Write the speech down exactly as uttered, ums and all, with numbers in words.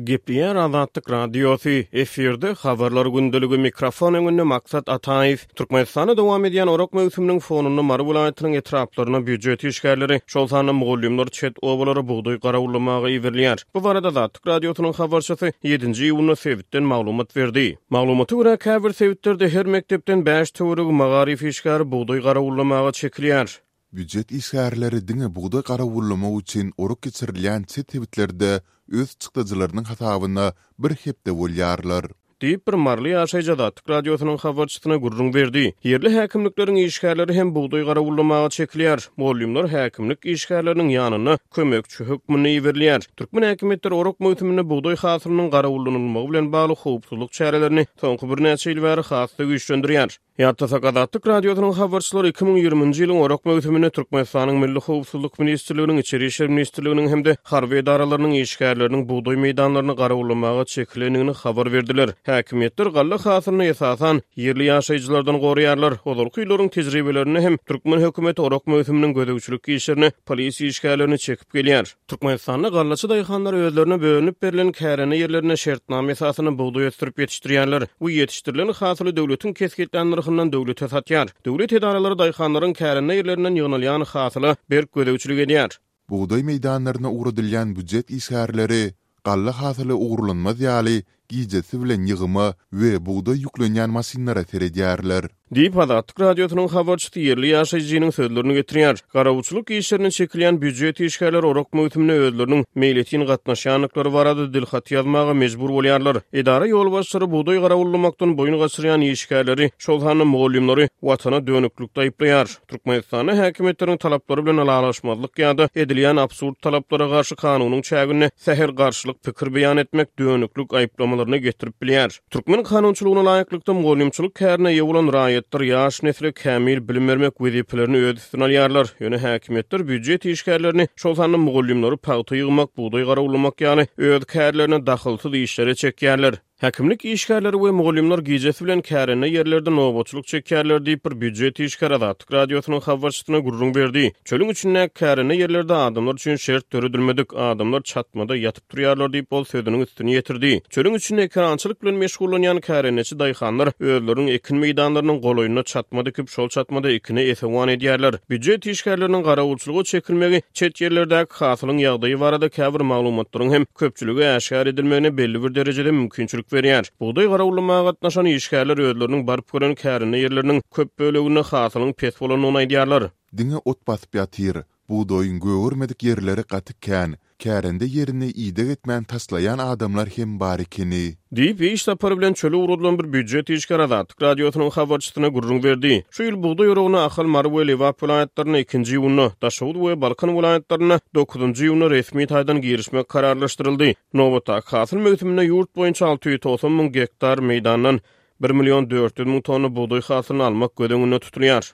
Gepleýär Azatlyk Radiosy, efirde Habarlar gündeligi, mikrofon öňünde Maksat Ataýew. Türkmenistanda dowam edýän orak möwsüminiň fonunda Mary welaýatynyň etraplaryna býujet işgärleri, şol sanda mugallymlar çet obalara bugdaý garawullamaga iberilýär. Bu barada Azatlyk Radiosynyň habarçysy ýedinji iýunda sebitden maglumat berdi. Maglumata görä, käbir sebitlerde her mekdepden bäş töweregi magaryf işgäri bugdaý garawullamaga çekilýär. Býujet işgärleri diňe bugdaý garawullamak üçin orak geçirilýän çet sebitlerde öz çykdajylarynyň hasabyna bir hepde bolýarlar. Diýip, bir maryly ýaşaýjy Azatlyk Radiosynyň habarçysyna gürrüň berdi. Ýerli häkimlikleriň işgärleri hem bugdaý garawullamaga çekilýär. Mugallymlar häkimlik işgärleriniň ýanyna kömekçi hökmünde iberilýär. Türkmen häkimiýetleri orak möwsüminde bugdaý hasylynyň garawullanylmagy bilen bagly howpsuzlyk çärelerini soňky birnäçe ýyl bäri has-da güýçlendirýär. Ýatlasak, Azatlyk Radiosynyň habarçylary iki müň ýigriminji ýylyň orak möwsüminde Türkmenistanyň Milli howpsuzlyk ministrliginiň, Içeri işler ministrliginiň hem-de harby edaralarynyň işgärleriniň bugdaý meýdanlaryny garawullamaga çekilendigini habar berdiler. Häkimiýetler galla hasylyny esasan ýerli ýaşaýjylardan goraýarlar. Ozalky ýyllaryň tejribelerinde hem türkmen hökümeti orak möwsüminiň gözegçilik işlerine polisiýa işgärlerini çekip gelýär. Türkmenistanda gallaçy daýhanlar özlerine bölünip berlen kärende ýerlerinde şertnama esasynda bugdaý ösdürip ýetişdirýärler we ýetişdirilen hasyly döwletiň kesgitlän nyrhyndan döwlete satýar. Döwlet edaralary daýhanlaryň kärende ýerlerinden ýygnalýan hasyla berk gözegçilik edýär. Bugdaý meýdanlaryna ugradylýan býujet işgärleri galla hasyly ogurlanmaz ýaly gijesi bilen ýygyma we bugdaý ýüklenýän maşynlara seredýärler. Diýip, Azatlyk Radiosynyň habarçysy ýerli ýaşaýjynyň sözlerini getirýär. Garawulçylyk işlerine çekilýän býujet işgärleri orak möwsümine özleriniň meýletin gatnaşýandyklary barada dilhaty ýazmaga mejbur bolýarlar. Edara ýolbaşçylary bugdaý garawullamakdan boýun gaçyrýan işgärleri, şol sanda mugallymlary Watana dönüklikde aýyplaýar. Türkmenistanda häkimiýetleriň talaplary bilen ylalaşmazlyk ýa-da edilýän absurd talaplara garşy kanunyň çäginde sähel garşylyk pikir beýan etmek dönüklik aýyplamalaryna getirip bilýär. Türkmen kanunçylygyna laýyklykda mugallymçylyk kärine eýe bolan raýatlar ýaş nesle kämil bilim bermek wezipelerini öz üstüne alýarlar. Ýöne häkimiýetler býujet işgärlerini, şol sanda mugallymlary pagta ýygmak, bugdaý garawullamak ýaly öz kärlerine dahylsyz işlere çekýärler. Häkimlik işgärleri we mugallymlar gijesi bilen kärende ýerlerde nobatçylyk çekýärler diýip, bir býujet işgäri Azatlyk Radiosynyň habarçysyna gürrüň berdi. Çölüň içindäki kärende ýerlerde adamlar üçin şert döredilmedik, adamlar çatmada ýatyp turýarlar diýip, ol sözüniň üstüni ýetirdi. Çölüň içinde ekerançylyk bilen meşgullanýan kärendeçi daýhanlar özleriniň ekin meýdanlarynyň golaýynda çatma dikip, şol çatmada ekine esewan edýärler. Býujet işgärleriniň garawulçylyga çekilmegi çet ýerlerdäki hasylyň ýagdaýy barada käbir maglumatlaryň hem köpçülige äşgär edilmegine belli bir derejede mümkinçilik berýär. Bugdaý garawullamaga gatnaşan işgärler özleriniň baryp gören kärende ýerleriniň köp böleginde hasylyň pes bolandygyny aýdýarlar. Diňe ot basyp ýatyr. Bugdaýyň gögermedik ýerleri gaty kän. Kärende ýerini ideg etmän taşlaýan adamlar hem bar ekeni. Diýip, iş sapary bilen çöle ugradylan bir býujet işgäri Azatlyk Radiosynyň habarçysyna gürrüň berdi. Şu ýyl bugdaý oragyna Ahal, Mary we Lebap welaýatlarynda ikinji iýunda, Daşoguz we Balkan welaýatlarynda dokuzynjy iýunda resmi taýdan girişmek kararlaşdyryldy. Nobatdaky hasyl möwsüminde ýurt boýunça alty ýüz togsan müň gektar meýdandan bir million dört ýüz müň tonna bugdaý hasylyny almak göz öňünde tutulýar.